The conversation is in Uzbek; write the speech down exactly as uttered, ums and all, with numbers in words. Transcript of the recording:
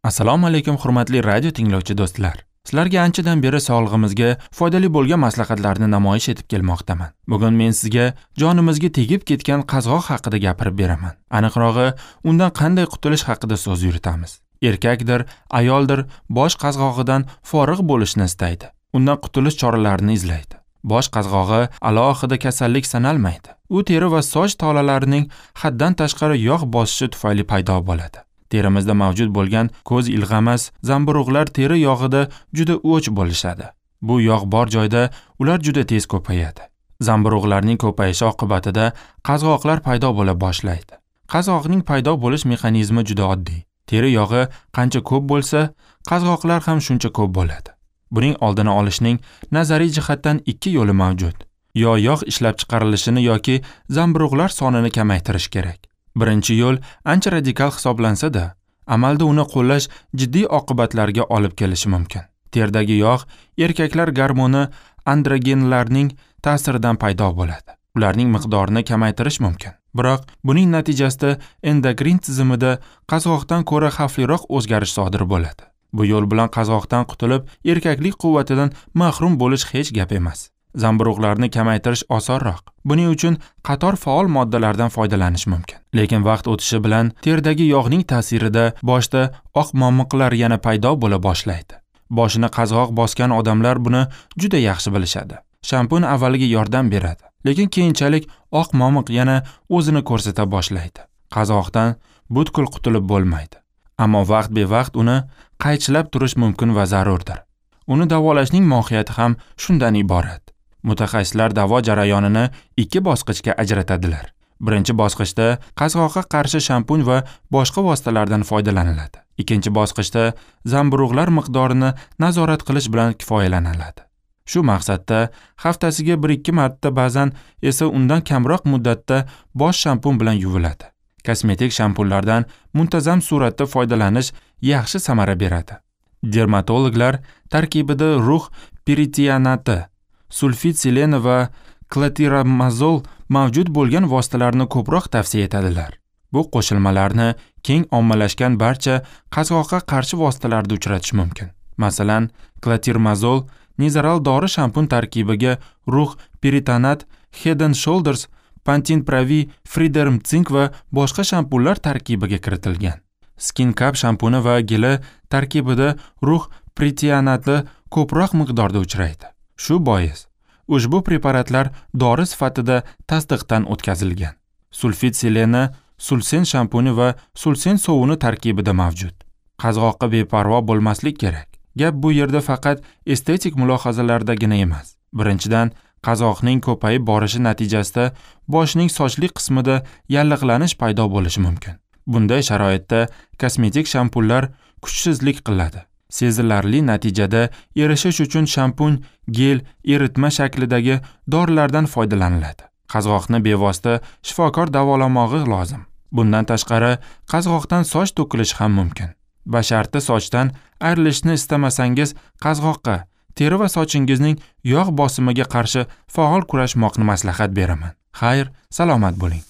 Assalomu alaykum hurmatli radio tinglovchi do'stlar. Sizlarga anchadan beri sog'lig'imizga foydali bo'lgan maslahatlarni namoyish etib kelmoqdaman. Bugun men sizga jonimizga tegib ketgan qazg'oq haqida gapirib beraman. Aniqrog'i, undan qanday qutulish haqida so'z yuritamiz. Erkakdir, ayoldir bosh qazg'og'idan forig' bo'lishni istaydi. Undan qutulish choralarini izlaydi. Bosh qazg'og'i alohida kasallik sanalmaydi. U teri va soch tolalarining haddan tashqari yog' bosishi tufayli paydo bo'ladi. Terimizda mavjud bo'lgan ko'z ilg'amas zamburug'lar teri yog'ida juda o'ch bo'lishadi. Bu yog' bor joyda ular juda tez ko'payadi. Zamburug'larning ko'payishi oqibatida qazg'oqlar paydo bo'la boshlaydi. Qazg'oqning paydo bo'lish mexanizmi juda oddiy. Teri yog'i qancha ko'p bo'lsa, qazg'oqlar ham shuncha ko'p bo'ladi. Buning oldini olishning nazariy jihatdan ikki yo'li mavjud. Yo yog' ishlab chiqarilishini yoki zamburug'lar sonini kamaytirish kerak. Birinchi yo'l ancha radikal hisoblansa-da, amalda uni qo'llash jiddiy oqibatlarga olib kelishi mumkin. Terdagi yog' erkaklar gormoni androgenlarning ta'siridan paydo bo'ladi. Ularning miqdorini kamaytirish mumkin. Biroq buning natijasida endokrin tizimida qazg'oqdan ko'ra xavfliroq o'zgarish sodir bo'ladi. Bu yo'l bilan qazg'oqdan qutulib, erkaklik quvvatidan mahrum bo'lish hech gap emas. Zamburug'larni kamaytirish osonroq. Buning uchun qator faol moddalardan foydalanish mumkin. Lekin vaqt o'tishi bilan teridagi yog'ning ta'sirida boshda oq momiqlar yana paydo bo'la boshlaydi. Boshini qazg'oq bosgan odamlar buni juda yaxshi bilishadi. Shampun avvaliga yordam beradi, lekin keyinchalik oq momiq yana o'zini ko'rsata boshlaydi. Qazg'oqdan butkul qutulib bo'lmaydi. Ammo vaqt bevaqt uni qaychilab turish mumkin va zarurdir. Uni davolashning mohiyati ham shundan iborat. Mutaxassislar davo jarayonini ikki bosqichga ajratadilar. Birinchi bosqichda qazg'oqqa qarshi shampun va boshqa vositalardan foydalaniladi. Ikkinchi bosqichda zamburug'lar miqdorini nazorat qilish bilan kifoyalaniladi. Shu maqsadda haftasiga bir ikki marta, ba'zan esa undan kamroq muddatda bosh shampun bilan yuviladi. Kosmetik shampunlardan muntazam suratda foydalanish yaxshi samara beradi. Dermatologlar tarkibida rux piritianati, sulfit seleni va klatiramazol mavjud bo'lgan vositalarni ko'proq tavsiya etadilar. Bu qo'shilmalarni keng ommalashgan barcha qazg'oqqa qarshi vositalarda uchratish mumkin. Masalan, klatirmazol Nizoral dori shampun tarkibiga rux piritanat, Head and Shoulders, Pantene Pro-V, Freederm Zinc va boshqa shampunlar tarkibiga kiritilgan. Skin Cap shampuni va geli tarkibida rux pritianati ko'proq miqdorda uchraydi. Shu bois ushbu preparatlar dori sifatida tasdiqdan o'tkazilgan. Sulfit seleni Sulsen shampuni va Sulsen sovuni tarkibida mavjud. Qazg'oqqa beparvo bo'lmaslik kerak. Gap bu yerda faqat estetik mulohazalardagina emas. Birinchidan, qazg'oqning ko'payib borishi natijasida boshning sochli qismida yallig'lanish paydo bo'lishi mumkin. Bunday sharoitda kosmetik shampunlar kuchsizlik qiladi. Sezilarli natijada erishish uchun shampun, gel, eritma shaklidagi dorilardan foydalaniladi. Qazg'oqni bevosita shifokor davolamog'i lozim. Bundan tashqari, qazg'oqdan soch to'kilishi ham mumkin. Basharti sochdan ayrilishni istamasangiz, qazg'oqqa, teri va sochingizning yog' bosimiga qarshi faol kurashmoqni maslahat beraman. Xayr, salomat bo'ling.